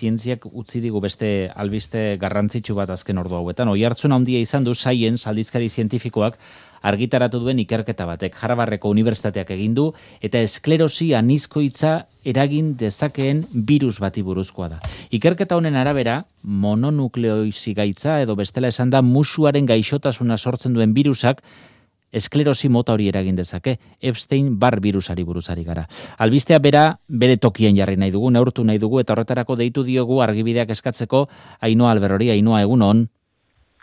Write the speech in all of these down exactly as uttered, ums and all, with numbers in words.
zientziak utzi digu beste albiste garrantzitsu bat azken ordu hauetan. Oihartzun handia izan du Science aldizkari zientifikoak argitaratu duen ikerketa batek. Harvardeko unibertsitateak egin du eta esklerosi anizkoitza eragin dezakeen virus bati buruzkoa da. Ikerketa honen arabera, mononukleosi gaitza edo bestela esan da musuaren gaixotasuna sortzen duen virusak esklerosi mota hori eragin dezake, Epstein-Barr virusari buruzari gara. Albistea bera bere tokien jarri nahi dugu, neurtu nahi dugu, eta horretarako deitu diogu argibideak eskatzeko Ainhoa Alberori. Ainhoa, egunon.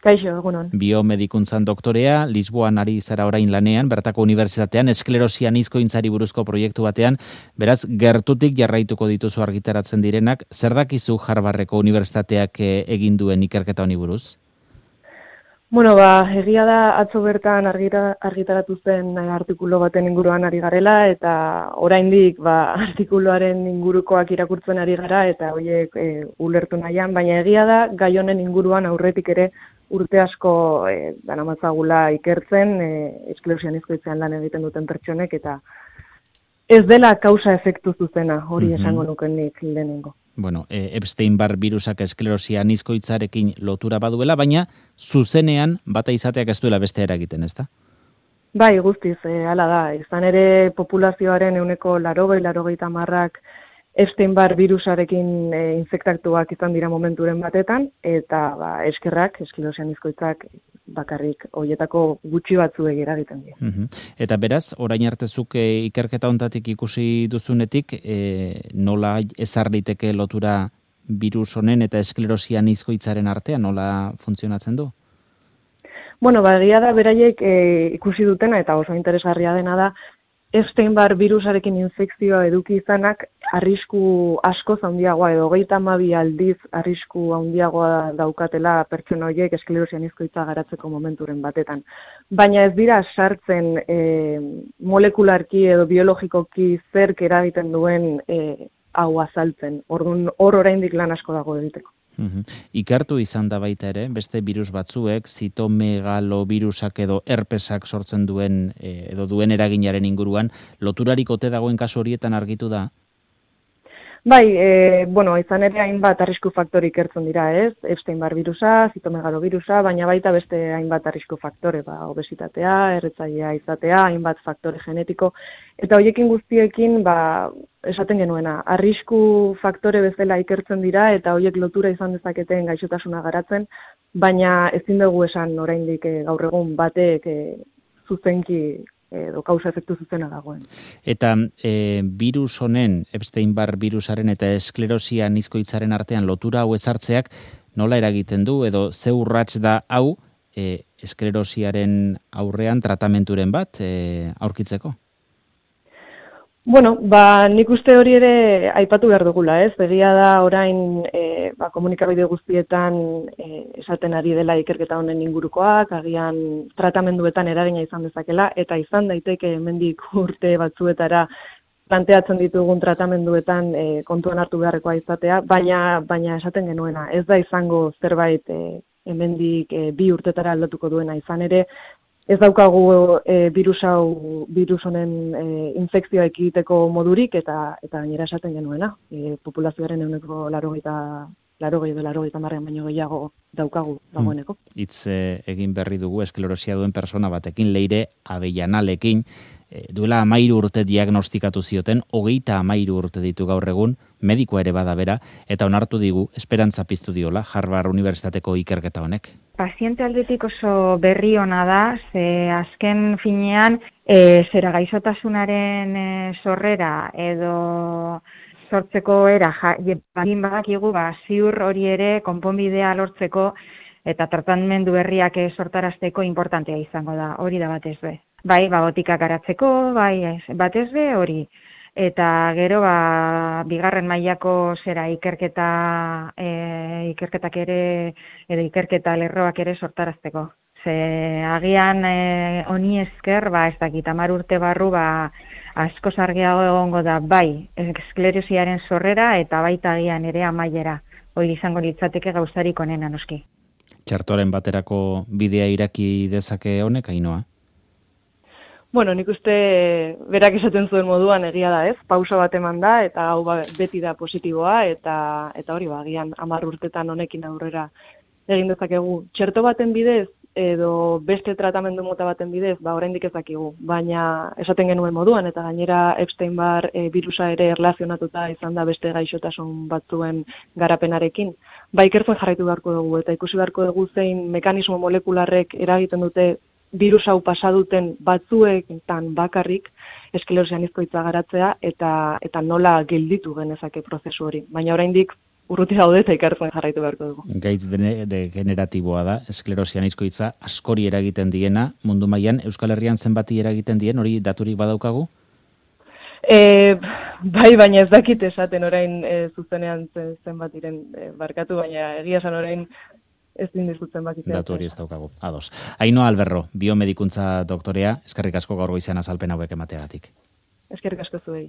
Kaixo, egunon. Biomedikuntzan doktorea, Lisboan ari zara orain lanean, bertako unibertsitatean, esklerosi anizkointzari buruzko proiektu batean, beraz, gertutik jarraituko dituzu argitaratzen direnak, zer dakizu Harvardeko unibertsitateak egin duen ikerketa honi buruz? Bueno, ba, egia da atzo bertan argira, argitaratu zen artikulu baten inguruan ari garela, eta oraindik ba, artikuluaren ingurukoak irakurtzen ari gara, eta horiek e, ulertu nahian, baina egia da gai honen inguruan aurretik ere urte asko e, danamatzagula ikertzen, e, esklerosi anizkoitzean lan egiten duten pertsonek, eta ez dela kausa efektu zuzena, hori Mhm. esango nuken nik lehenengo. Bueno, e, Epstein-Barr virusak esklerosi anizkoitzarekin lotura baduela, baina zuzenean bata izateak ez duela beste eragiten, ezta? Bai, guztiz, e, hala da. Izan ere populazioaren ehuneko larogei, larogeita hamarrak Epstein-Barr virusarekin e, infektatuak izan dira momenturen batetan, eta ba, eskerrak, esklerosi anizkoitzak bakarrik hoietako gutxi batzuek eragiten dira. Mhm. Eta beraz, orain artezuk e, ikerketa hontatik ikusi duzunetik, e, nola ezar liteke lotura virus honen eta esklerosi anizkoitzaren artean, nola funtzionatzen du? Bueno, ba, egia da beraiek e, ikusi dutena eta oso interesgarria dena da, Epstein-Barr virusarekin infekzioa eduki izanak arrisku askoz handiagoa edo hogeita hamabi aldiz arrisku handiagoa daukatela pertsona horiek esklerosi anizkoitza garatzeko momenturen batetan. Baina ez dira sartzen e, molekularki edo biologikoki zerk eragiten duen e, hau azaltzen. Orduan hor oraindik lan asko dago egiteko. Mhm. Ikertu izan da baita ere, beste virus batzuek, zitomegalovirusak edo herpesak sortzen duen e, edo duen eraginaren inguruan, loturarik ote dagoen kasu horietan argitu da? Bai, e, bueno, izan ere hainbat arrisku faktore ikertzen dira, ez? Epstein-Barr virusa, zitomegalovirusa, baina baita beste hainbat arrisku faktore, ba, obesitatea, erretzailea izatea, hainbat faktore genetiko, eta horiekin guztiekin, ba, esaten genuena, arrisku faktore bezala ikertzen dira, eta horiek lotura izan dezaketen gaixotasuna garatzen, baina ezin dugu esan oraindik e, gaur egun batek e, zuzenki edo kausa efektu zuzena dagoen. Eta e, virus honen, Epstein-Barr virusaren eta esklerosi anizkoitzaren artean lotura hau ezartzeak nola eragiten du edo ze urrats da hau e, esklerosiaren aurrean tratamenturen bat e, aurkitzeko? Bueno, ba, nik uste hori ere aipatu behar dugula, ez? Egia da orain e, ba, komunikabide guztietan e, esaten ari dela ikerketa honen ingurukoak, agian tratamenduetan eragina izan dezakela, eta izan daiteke hemendik urte batzuetara planteatzen ditugun tratamenduetan e, kontuan hartu beharrekoa izatea, baina baina esaten genuena, ez da izango zerbait e, hemendik e, bi urtetara aldatuko duena, izan ere, ez daukagu e, virus hau, virus honen e, infekzioa ekiteko modurik eta eta gainera esaten genuena. E, populazioaren ehuneko laurogeita laurogei edo laurogeita hamarrean baino gehiago daukagu dagoeneko. Hitz e, egin berri dugu esklerosia duen persona batekin, Leire Avellanalekin, e, duela hamairu urte diagnostikatu zioten, hogeita hamairu urte ditu gaur egun, medikoa ere bada bera, eta onartu digu, esperantza piztu diola, Harvard Unibertsitateko ikerketa honek. Paziente aldetik oso berri ona da, ze azken finean e, zera gaixotasunaren e, sorrera edo sortzeko era jakin badakigu, ba, ziur hori ere konponbidea lortzeko eta tratamendu berriak sortarazteko importantea izango da, hori da batez be. Bai, ba, botikak garatzeko, bai, batez be, hori. Eta gero, ba, bigarren mailako zera ikerketa, e, ikerketak ere, edo ikerketa lerroak ere sortarazteko. Ze agian e, honi esker, ba, ez dakit, hamar urte barru, ba, asko argiago egongo da, bai, esklerosiaren sorrera eta baita agian ere amaiera. Hori izango litzateke gauzarik onena noski. Txertoren baterako bidea iraki dezake honek, Ainhoa? Bueno, nik uste berak esaten zuen moduan egia da, ez? Pausa bat eman da eta hau ba, beti da positiboa eta eta hori ba agian hamar urtetan honekin aurrera egin dezakegu. Txerto baten bidez edo beste tratamendu mota baten bidez, ba oraindik ez dakigu, baina esaten genuen moduan eta gainera Epstein-Barr e, birusa ere erlazionatuta izan da beste gaixotasun batzuen garapenarekin. Ba ikertzen jarraitu beharko dugu eta ikusi beharko dugu zein mekanismo molekularrek eragiten dute birus hau pasa duten batzuetan bakarrik esklerosi anizkoitza garatzea eta eta nola gelditu genezake prozesu hori. Baina oraindik urruti daude eta ikertzen jarraitu beharko dugu. Gaitz degeneratiboa da, esklerosi anizkoitza askori eragiten diena, mundu mailan Euskal Herrian zenbati eragiten dien, hori daturik badaukagu? E, bai, baina ez dakit esaten orain e, zuzenean zenbatiren e, barkatu, baina egia esan orain ez dindizutzen bakitzen. Datu hori ez daukagu, ados. Ainhoa Alberro, biomedikuntza doktorea, eskerrik asko gaur goizean azalpen hauek emateagatik. Eskerrik asko zuei.